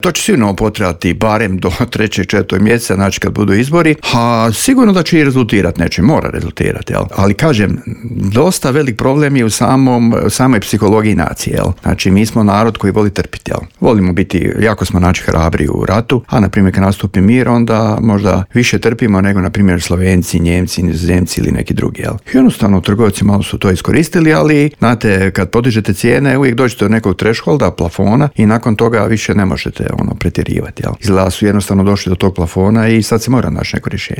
To će sigurno potrebati barem do 3. 4. mjeseca, znači kad budu izbori, a sigurno da će i rezultirati, neće, mora rezultirati, jel? Ali kažem, dosta velik problem je u samoj psihologiji nacije, jel? Znači mi smo narod koji voli trpiti, jel? Volimo biti, jako smo znači hrabri u ratu, a na primjer kad nastupi mir, onda možda više trpimo nego na primjer Slovenci, Njemci, Nizozemci ili neki drugi, jel? Jednostavno trgovci malo su to iskoristili, ali znate, kad podižete cijene, uvijek dođete do nekog thresholda, plafona i nakon toga više ne možete pretjerivati, jel? Izgleda su jednostavno došli do tog plafona i sad se mora naći neko rješenje.